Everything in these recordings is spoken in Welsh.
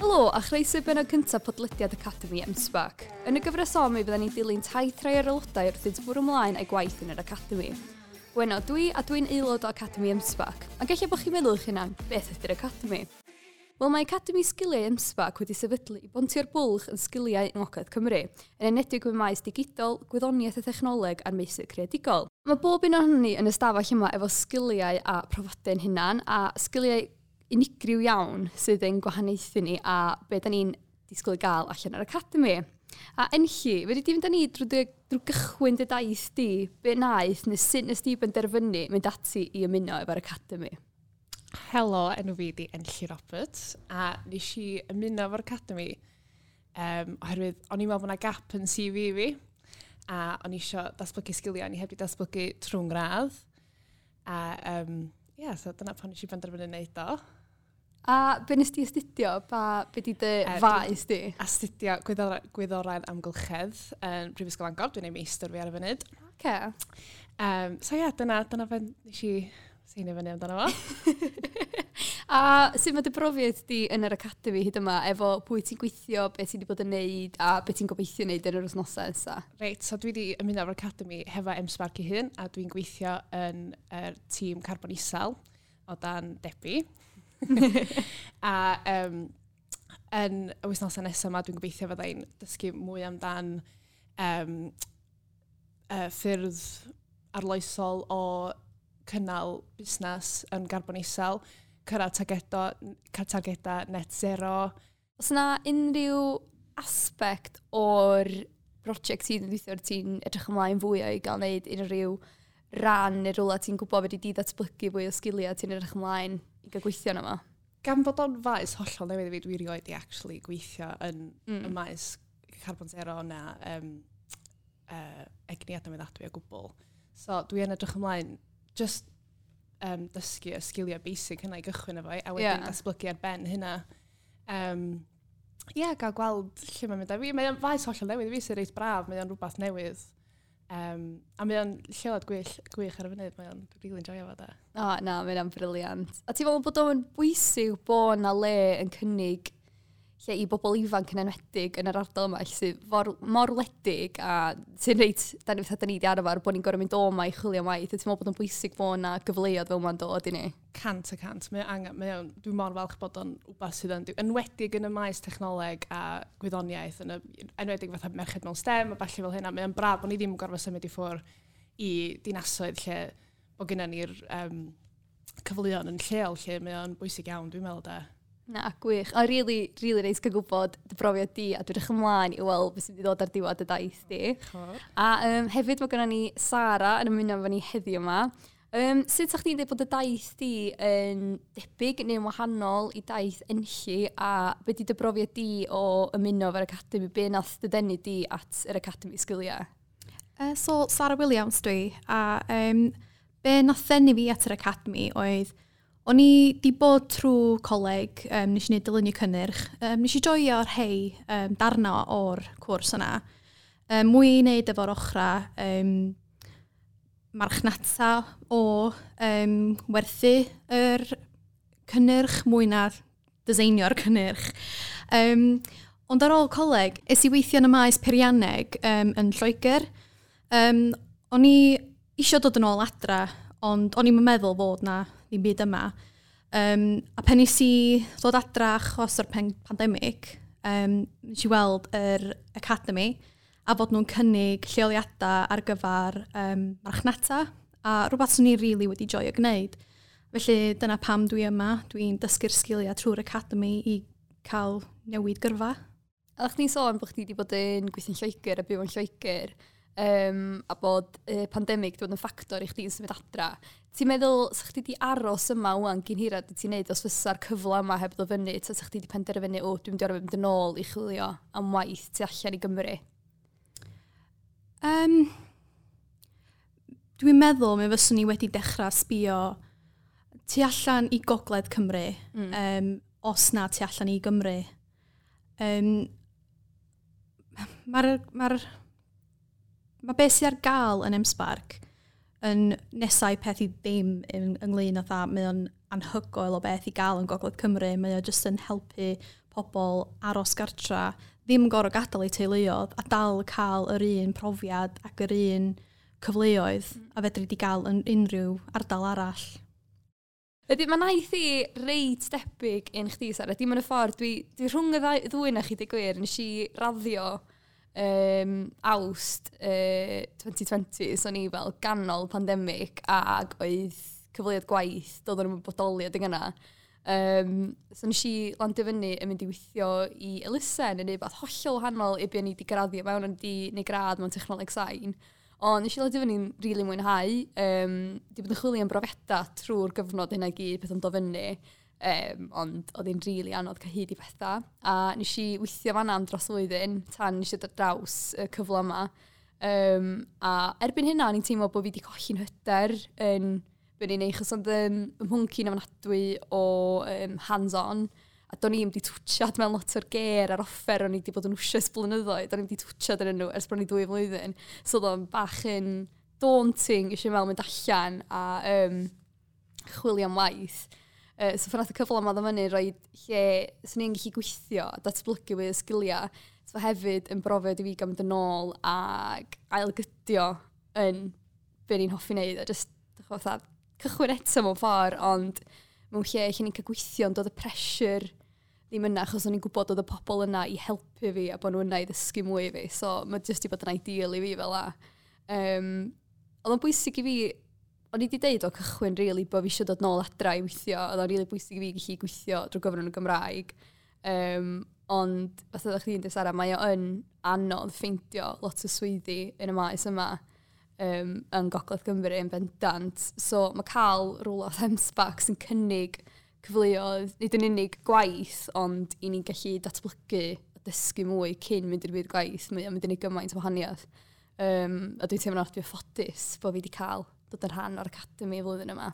Helo, a chroeso i bennod cyntaf podlediad Academy M-SParc. Yn y gyfres hon, mi fydden ni'n dilyn taith rhai o'r aelodau wrth iddynt bwrw ymlaen â'u gwaith yn yr Academy. Weno, dwi a dwi'n aelod o Academy M-SParc, a gallai bod chi'n meddwl eich hunan, beth ydy'r Academy? Wel, mae Academy Sgiliau M-SParc wedi sefydlu i bontio'r bwlch yn sgiliau yng Ngogledd Cymru, yn enwedig mewn maes digidol, gwyddoniaeth a thechnoleg a'r meysydd creadigol. Mae bob un ohonon ni yn y stafell yma efo sgiliau a profiadau'n hunan, a sgiliau unigryw iawn sydd yn gwahaniaethu ni a be da ni'n disgwyl i gael allan o'r Academy. A Enlli, fedri di fynd â ni drwy gychwyn dy daith di, be naeth neu sut nes di benderfynu mynd ati i ymuno efo'r Academy? Helo, enw fi di Enlli Roberts, a nes i ymuno efo'r Academy oherwydd o'n i'n meddwl bod yna gap yn CV fi, a o'n i eisiau datblygu sgiliau, o'n i heb di datblygu trwy'n gradd. A yeah, so dyna pan nes i benderfynu wneud o. A be nes di astudio? Be di dy faes di? Astudio gwyddorau'r amgylchedd yn Prifysgol Bangor. Dwi'n ei meistr fi ar y funud. Okay. So ie, yeah, dyna fe nes i seinio fyny amdano fo. A sut mae dy brofiad di yn yr Academy hyd yma, efo pwy ti'n gweithio, beth ti wedi bod yn neud, a beth ti'n gobeithio neud yn yr wythnosau nesaf? Reit, so dwi wedi ymuno efo'r Academy hefo M-SParc ei hun, a dwi'n gweithio yn yr tîm carbon isel o dan Debbie. A yn y wythnosau nesaf yma, dwi'n gobeithio fydda i'n dysgu mwy amdan ffyrdd arloesol o cynnal busnes yn garbon isel, cyrraedd targedau net zero. Oes yna unrhyw aspect o'r brosiect ti'n gweithio ar ti'n edrych ymlaen fwy o i gael wneud unrhyw ran neu rhywle ti'n gwybod fedri di ddatblygu fwy o sgiliau ti'n edrych ymlaen i gael gweithio yna fo? Gan fod o'n faes hollol newydd i fi, dwi erioed i actually gweithio yn y maes carbon zero na egni adnewyddadwy o gwbl. So dwi yn edrych ymlaen just dysgu y sgiliau basic hynna i gychwyn efo, a wedyn datblygu ar ben hynna. Ie, gael gweld lle mae'n mynd â fi. Mae'n faes hollol newydd i fi sy'n reit braf, mae o'n rhywbeth newydd. A mae o'n lleoliad gwych ar y funud, mae o'n really enjoyo fo da. O, na, mae o'n brilliant. A ti'n meddwl bod o'n bwysig bod na le yn cynnig lle i bobl ifanc yn enwedig yn yr ardal yma, lle sydd mor wledig a sy'n reit, da ni di arfer bod ni'n gorfod mynd o yma i chwilio am waith. A ti'n meddwl bod o'n bwysig bod na gyfleoedd fel yma'n dod i ni? 100%. Mae angen, mae o'n, dwi'n mor falch bod o'n wbath sydd yn, enwedig yn y maes technoleg a gwyddoniaeth, yn y, enwedig fatha merched mewn STEM a ballu fel hynna, mae o'n braf bod ni ddim yn gorfod symud i ffwrdd i dinasoedd lle bod gennym ni'r cyfleoedd yn lleol lle mae o'n bwysig iawn, dwi'n meddwl da. Na, gwych. A really, really neis cael gwybod dy brofiad di, a dwi'n edrych ymlaen i weld beth sydd wedi dod ar diwedd y daith di. Chor. A hefyd mae gennym ni Sara yn ymuno efo ni heddiw yma. Sut sa'ch chdi'n dweud bod y daith di yn debyg neu'n wahanol i daith Enlli, a be di dy brofiad di o ymuno efo'r Academy? Be nath dy denu di at yr Academy Sgiliau? So, Sara Williams dwi, a be nath ddenu fi at yr Academy oedd o'n i di bod trwy coleg, nes i wneud dylunio cynnyrch, nes i joio rhai darna o'r cwrs yna. Mwy i wneud efo'r ochra marchnata o werthu yr cynnyrch, mwy na dyseinio'r cynnyrch. Ond ar ôl coleg, es i weithio yn y maes peirianneg yn Lloegr. O'n i isio dod yn ôl adra, ond o'n i'm yn meddwl fod na ddim byd yma. A pen nes i ddod adra achos o'r pandemig, nes i weld yr Academy a fod nhw'n cynnig lleoliadau ar gyfer marchnata a rhywbeth swn i really wedi joio gwneud. Felly dyna pam dwi yma, dwi'n dysgu'r sgiliau trwy'r Academy i cael newid gyrfa. A o'ch chdi'n sôn bod chdi wedi bod yn gweithio'n Lloegr a byw yn Lloegr, a bod y pandemig wedi bod yn ffactor i chdi yn symud adra. Ti'n meddwl, sa chdi wedi aros yma wan gyn hirad i ti'n neud os fysa'r cyfle yma heb ddod fyny, ta sa chdi wedi penderfynu, o, dwi'n mynd i orfod mynd yn ôl i chwilio am waith tu allan i Gymru? Dwi'n meddwl mi fyswn i wedi dechrau sbio tu allan i Gogledd Cymru, os na tu allan i Gymru. Mae beth sydd ar gael yn M-SParc yn nesau peth i ddim ynglyn â tha, mae o'n anhygoel o beth i gael yn Gogledd Cymru. Mae o jyst yn helpu pobl aros gartra, ddim gorfod gadael eu teuluoedd a dal cael yr un profiad ac yr un cyfleoedd a fedri di gael yn unrhyw ardal arall. Ydy, mae naeth i reit debyg un chdi, Sara. Dim yn y ffordd, dwi rhwng y ddwy na chi, di gwir, nes i raddio Awst 2020, so ni fel ganol pandemig ac oedd cyfleoedd gwaith, doedd o'n bodoli adeg yna. So nes i landio fyny yn mynd i weithio i elusen yn neu beth hollol wahanol i be o'n i wedi graddio mewn, o'n i wedi neud gradd mewn technoleg sain. Ond nes i landio fyny'n rili really mwynhau. Di bod yn chwilio am brofiadau trwy'r gyfnod hynna i gyd, peth yn dod fyny. Ond oedd hi'n rili really anodd cael hyd i bethau. A nes i weithio fan'na am dros flwyddyn, tan nes i dod draws y cyfle yma. A erbyn hynna, o'n i'n teimlo bod fi wedi colli'n hyder yn be o'n i'n neud, achos oedd y mhwnc i'n ofnadwy o hands-on, a do'n i'm wedi twtsiad mewn lot o'r ger a'r offer o'n i wedi bod yn wsio ers blynyddoedd, do'n i'm wedi twtsiad yn nhw ers bron i 2 flwyddyn. So oedd o'n bach yn daunting eisiau meddwl mynd allan a chwilio am waith. So pan nath y cyfle yma ddod fyny, rhoi lle swn i'n gallu gweithio a datblygu fwy o sgiliau. So hefyd yn brofiad i fi gael mynd yn ôl ac ailgydio yn be ni'n hoffi wneud. A just fatha, cychwyn eto mewn ffordd, ond mewn lle lle ni'n cael gweithio yn dod y pressure ddim yna, achos o'n i'n gwybod oedd y pobl yna i helpu fi a bod nhw yna i ddysgu mwy i fi. So mae jyst i bod yn ideal i fi fel la. Oedd o'n bwysig i fi, o'n i wedi deud o cychwyn really bod fi eisiau dod nôl adra i weithio, oedd o'n really bwysig i fi gallu gweithio drwy gyfrwng y Gymraeg. Ond fatha oeddech chdi'n dweud, Sara, mae o yn anodd ffeindio lot o swyddi yn y maes yma yn Gogledd Cymru yn bendant. So mae cael rhywle o M-SParc sy'n cynnig cyfleoedd, nid yn unig gwaith, ond i ni'n gallu datblygu a dysgu mwy cyn mynd i'r byd gwaith, mae o'n mynd i wneud gymaint o wahaniaeth. A dwi'n teimlo'n dwi'n ffodus bod fi wedi cael dod yn rhan o'r academy y flwyddyn yma.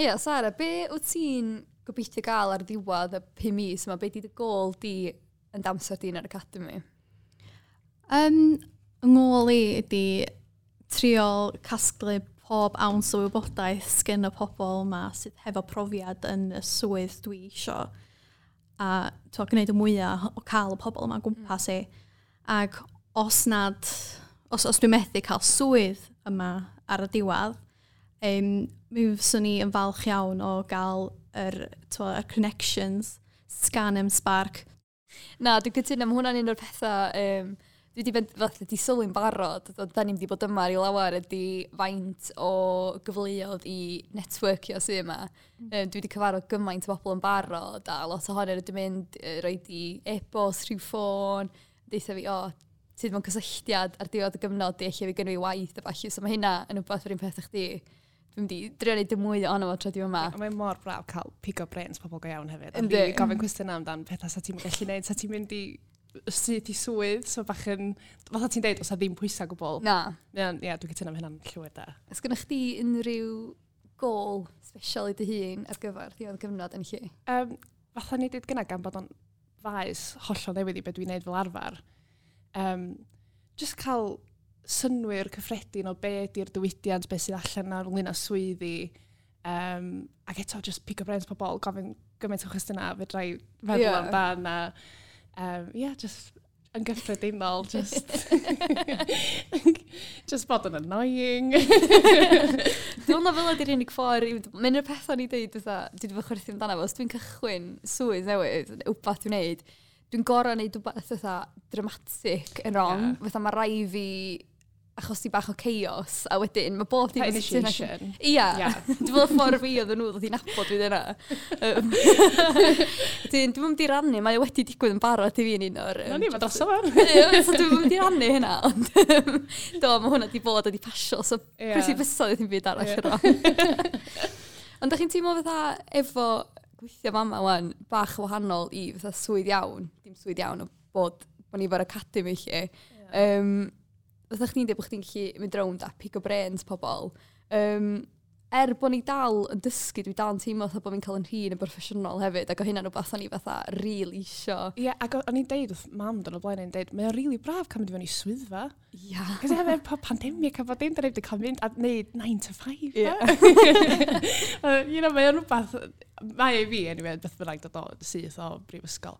Ia, Sara, be wyt ti'n gobeithio gael ar ddiwedd y 5 mis yma? Be di dy gôl di yn damser di yn yr academy? Ngôl i ydi trio casglu pob awns o wybodaeth sgen y pobl yma sydd hefo profiad yn y swydd dwi isio. A to, gwneud y mwyaf o cael y pobl yma gwmpas i. Ac os nad, os dwi'n methu cael swydd yma ar y diwedd, mi fyswn i yn falch iawn o gael yr connections sgan M-SParc. Na, dwi'n cytuno, mae hwnna'n un o'r pethau dwi wedi fatha di sylwi'n barod, da ni'n wedi bod yma i lawer ydy faint o gyfleoedd i networkio sydd yma. Dwi wedi cyfarfod gymaint o bobl yn barod a lot ohonyn nhw wedi mynd roed i e-bost, rhyw ffôn, deutha fi, o, sydd mewn cysylltiad ar diwedd y gyfnod di, lle fi gynnu fi waith a ballu. So mae hynna yn rhywbeth yr un peth i chdi. Dwi'n mynd i drio neud y mwy ohono fo tra dwi yma. A mae mor braf cael pigo brains pobl go iawn hefyd. Yndi. Rili gofyn cwestiynau amdan pethau sa ti'n gallu neud, sa ti'n mynd i syth i swydd, so bach yn, fatha ti'n deud, os a ddim pwysau gwbl. Na. Ie, yeah, dwi'n cytuno am hynna'n llwyr da. Oes gennych chdi unrhyw gôl special i dy hun ar gyfer diwedd gyfnod yn lle? Fatha ni dweud gynna, gan bod o'n faes hollol newydd i beth dwi'n neud fel arfer. Just cael synnwyr cyffredin o be ydy'r diwydiant, be sydd allan ar ynglyn â swyddi. Ac eto, just pick up brains pobl, gofyn gymaint o chwestiynau, fedra i feddwl amdan. A, yeah, just yn gyffredinol, just, just bod yn annoying. Dwi'n meddwl fel ydy'r unig ffordd, mae'n o'r pethau ni dweud, fatha, dwi wedi bod chwerthin amdano fo, os dwi'n cychwyn swydd newydd, wbath dwi'n neud, dwi'n gorau neud wbath fatha dramatic yn wrong, fatha mae rai fi achos ti bach o chaos, a wedyn mae bob dim... Initiation. Ia, dwi'n meddwl ffordd fi oedden nhw ddod i nabod fi dyna. Dwi'n mynd i rannu, mae o wedi digwydd yn barod i fi yn un o'r... Na ni, mae droso fo. So dwi'n mynd i rannu hynna, ond do, mae hwnna di bod wedi pasio, so pwys i fysodd ddim byd arall yno. Ond dach chi'n teimlo fatha efo gweithio fama wan, bach wahanol i fatha swydd iawn, dim swydd iawn o bod ni fo'r academy lle. Fatha chdi'n dweud bod chdi'n gallu mynd rownd a pick o brains pobl. er bod ni dal yn dysgu, dwi dal yn teimlo fatha bod fi'n cael yn rhin yn broffesiynol hefyd, ac o hynna'n rhywbeth o'n i fatha rili isio. Ie, yeah, ac o'n i'n deud wrth mam dyn o blaen, o'n deud, mae o'n rili braf cael mynd i fewn i swyddfa. Ia. Yeah. Cos efo pandemig a bod dim, da ni wedi cael mynd a neud 9 to 5. Ie. You know, mae o'n rhywbeth, mae i fi, anyway, beth bynnag dod o syth o brifysgol.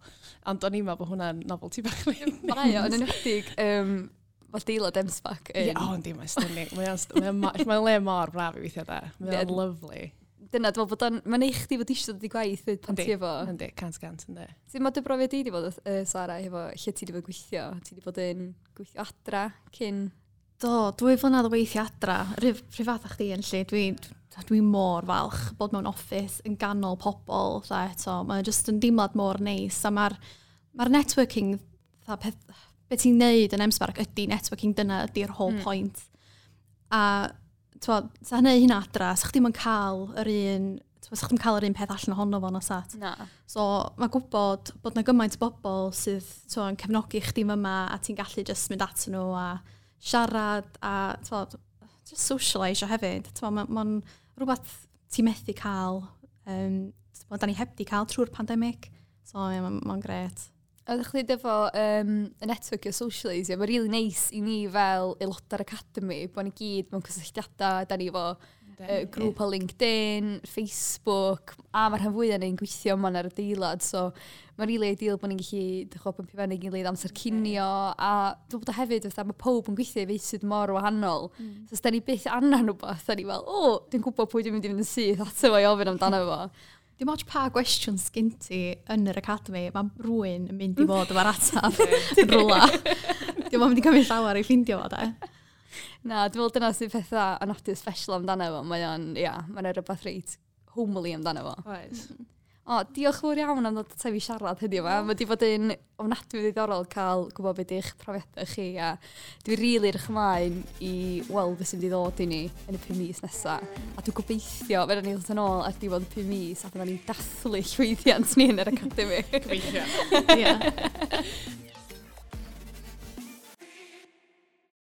Ond o'n i'n meddwl bod hwnna'n novelty bach. Mae o, yn enwedig, fel deilad M-SParc. Ie, o, yndi, mae'n stunning. Mae le mor braf i weithio da. Mae o'n lovely. Dyna, dwi'n meddwl bod o'n, mae'n eich chdi fod eisiau dod i gwaith pan ti efo. Yndi, 100%, yndi. Sut mae dy brofiad di wedi bod, Sara, efo lle ti wedi bod gweithio? Ti wedi bod yn gweithio adra cyn? Do, 2 flynedd o weithio adra. Rhyw fath â chdi yn lle. Dwi mor falch bod mewn office yn ganol pobl. Dda, eto. Mae'n just yn deimlad mor neis. A mae'r networking, dda, peth, be ti'n neud yn M-SParc ydy networking, dyna ydy'r whole point. A t'wo, sa hynny hynna adra, sa chdi'm yn cael yr un, t'wo, sa chdi'm cael yr un peth allan ohono fo na sat. Na. So mae gwybod bod na gymaint o bobl sydd t'wo, yn cefnogi chdi yma a ti'n gallu just mynd atyn nhw a siarad a t'wo, just socialise hefyd. T'wo, mae'n rhywbeth ti'n methu cael, t'wo, da ni heb di cael trwy'r pandemig. So yeah, mae'n grêt. Oeddech chdi efo y network o socialisio, mae'n really nice i ni fel aelodau'r Academy, bod ni gyd mewn cysylltiadau, da ni efo grŵp o LinkedIn, Facebook, a mae'r rhan fwyaf ni'n gweithio yma ar y adeilad, so mae'n really ideal bod ni'n gallu dechrau bympio fewn i gilydd amser cinio, a dwi'n bod o hefyd, fatha, mae pob yn gweithio i feysydd mor wahanol. So os da ni byth angen rhywbeth, da ni fel, o, dwi'n gwybod pwy dwi'n mynd i fynd yn syth ato fo i ofyn amdano fo. Dim ots pa gwestiwn sgyn ti yn yr academy, mae rhywun yn mynd i fod efo'r atab yn rwla. Dim ond mynd i cymryd llawer i ffindio fo, de. Na, dwi'n meddwl dyna sy'n pethau anodus special amdano fo. Mae o'n, ia, mae'n rhywbeth reit homely amdano fo. Oes. O, diolch fawr iawn am ddod ata fi siarad heddiw yma. Mae wedi bod yn ofnadwy ddiddorol cael gwybod beth ydych profiadau chi a dwi rili edrych ymlaen i weld beth sy'n mynd i ddod i ni yn y 5 mis nesaf. A dwi'n gobeithio, fe ni ddod yn ôl ar diwedd y 5 mis a byddwn ni'n dathlu llwyddiant ni yn yr Academy. Gobeithio. Ie.